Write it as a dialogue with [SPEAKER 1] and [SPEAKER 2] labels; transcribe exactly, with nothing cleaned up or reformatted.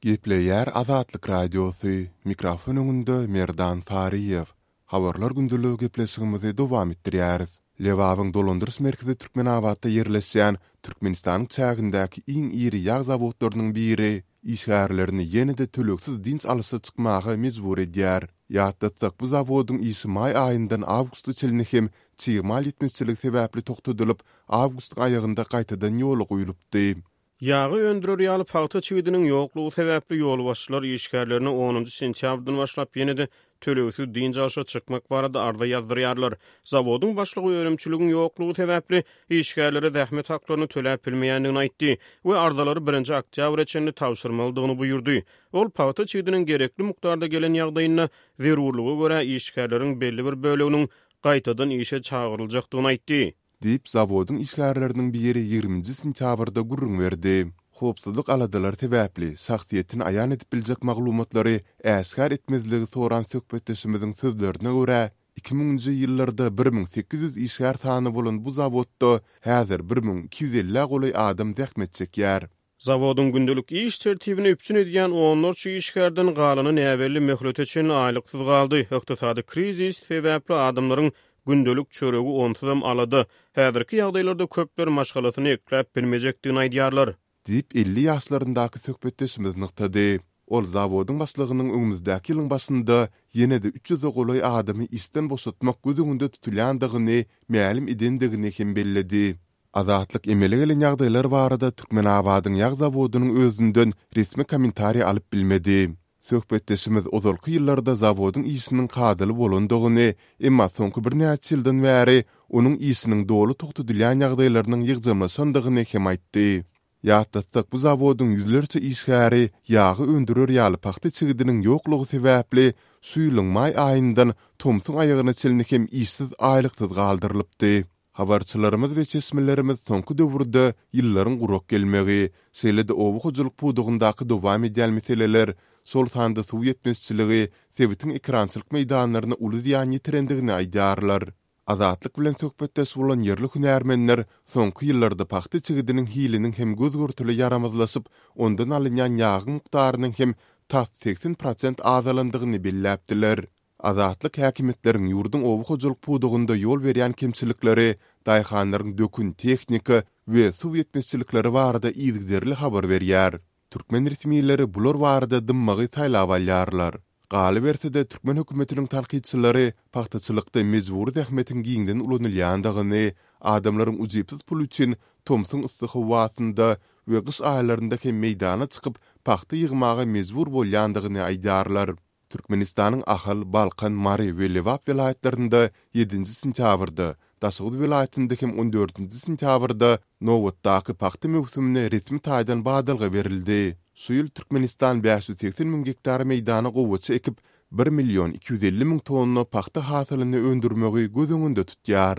[SPEAKER 1] Gepleýär Azatlyk Radiosy, mikrofon öňünde Merdan Saryýew. Habarlar gündeligi gepleşigimizi dowam etdirýäris. Lebabyň dolandyryş merkezi Türkmenabatda ýerleşýän Türkmenistanyň çägindäki iň iri ýag zawodlarynyň biri işgärlerini ýene-de tölegsiz dynç alyşa çykmaga mejbur edýär. Ýatlatsak, bu zawodyň işi maý aýyndan awgusta çenli hem çig mal ýetmezçiligi sebäpli togtadylyp, awgustyň aýagynda gaýtadan ýola goýlupdy.
[SPEAKER 2] Ýagy öndürer ýaly pagta çigidiniň ýoklugy sebäpli ýolbaşçylar işgärlerine onunjy sentýabrdan başlap ýene-de tölegsiz dynç alşa çykmak barada arza ýazdyrýarlar. Zawodyň başlygy önümçiligiň ýoklugy sebäpli işgärlere zähmet haklaryny töläp bilmeýändigini aýtdy we arzalary birinji oktýabra çenli tabşyrmalydygyny buýurdy. Ol pagta çigidiniň gerekli mukdarda gelen ýagdaýynda zerurlyga görä işgärleriň belli bir böleginiň gaýtadan işe çagyryljakdygyny aýtdy.
[SPEAKER 1] Diýip, zawodyň işgärleriniň biri ýigriminji sentýabrda gürrüň berdi. Howpsuzlyk aladalary sebäpli, şahsyýetini aýan edip biljek maglumatlary äşgär etmezligi soran söhbetdeşimiziň sözlerine görä, iki müňünji ýyllarda bir müň sekiz ýüz işgär sany bolan bu zawodda häzir bir müň iki ýüz ellä golaý adam zähmet çekýär.
[SPEAKER 2] Zawodyň gündelik iş tertibini üpjün edýän onlarça işgärden galany näbelli möhlete çenli aýlyksyz galdy. Ykdysady krizis sebäpli adamlaryň gündelik çöregi onsuzam alada. Häzirki ýagdaýlarda köpler maşgalasyny ekläp bilmejekdigini aýdýarlar.
[SPEAKER 1] Diýip, elli ýaşlaryndaky söhbetdeşimiz nygtady. Ol zawodyň başlygynyň öňümizdäki ýylyň başynda ýene-de üç ýüze golaý adamy işden boşatmak göz öňünde tutulýandygyny mälim edendigini hem belledi. Azatlyk emele gelen ýagdaýlar barada Türkmenabadyň ýag zawodynyň özünden resmi kommentariý alyp bilmedi. Söhbetdeşimiz ozalky ýyllarda zawodyň işiniň kadaly bolandygyny, emma soňky birnäçe ýyldan bäri onuň işiniň doly togtadylýan ýagdaýlarynyň ýygjamlaşandygyny hem aýtdy. Ýatlatsak, bu zawodyň ýüzlerçe işgäri ýagy öndürer ýaly pagta çigidiniň ýoklugy sebäpli şu ýylyň maý aýyndan tomsuň aýagyna çenli hem işsiz aýlyksyz galdyrylypdy. Habarçylarymyz we çeşmelerimiz soňky döwürde ýyllaryň gurak gelmegi, şeýle-de oba hojalyk pudagyndaky dowam edýän meseleler, şol sanda suw ýetmezçiligi sebitiň ekerançylyk meýdanlaryna uly zyýan ýetirendigini aýdýarlar. Azatlyk bilen söhbetdeş bolan ýerli hünärmenler soňky ýyllarda pagta çigidiniň hiliniň hem göz-görtele ýaramazlaşyp, ondan alynýan ýagyň mukdarynyň hem tas segsen prosent azalandygyny belläpdiler. Azatlyk häkimiýetleriň ýurduň oba hojalyk pudagynda ýol berýän kemçilikleri, daýhanlaryň dökün, tehnika we suw ýetmezçilikleri barada yzygiderli habar berýär. Türkmen resmileri bular barada dymmagy saýlap alýarlar. Galyberse-de, türkmen hökümetiniň tankytçylary pagtaçylykda mejbury zähmetiň giňden ulanylýandygyny, adamlaryň ujypsyz pul üçin tomsuň yssy howasynda we gyş aýlarynda hem meýdana çykyp, pagta ýygmaga mejbur bolýandygyny aýdýarlar. Türkmenistanyň Ahal, Balkan, Mary we Lebap welaýatlarynda ýedinji sentýabrda, Daşoguz welaýatynda hem on dördünji sentýabrda nobatdaky pagta möwsümine resmi taýdan badalga berildi. Şu ýyl Türkmenistan bäş ýüz segsen müň gektar meýdana gowaça ekip, bir million iki ýüz elli müň tonna pagta hasylyny öndürmegi göz öňünde tutýar.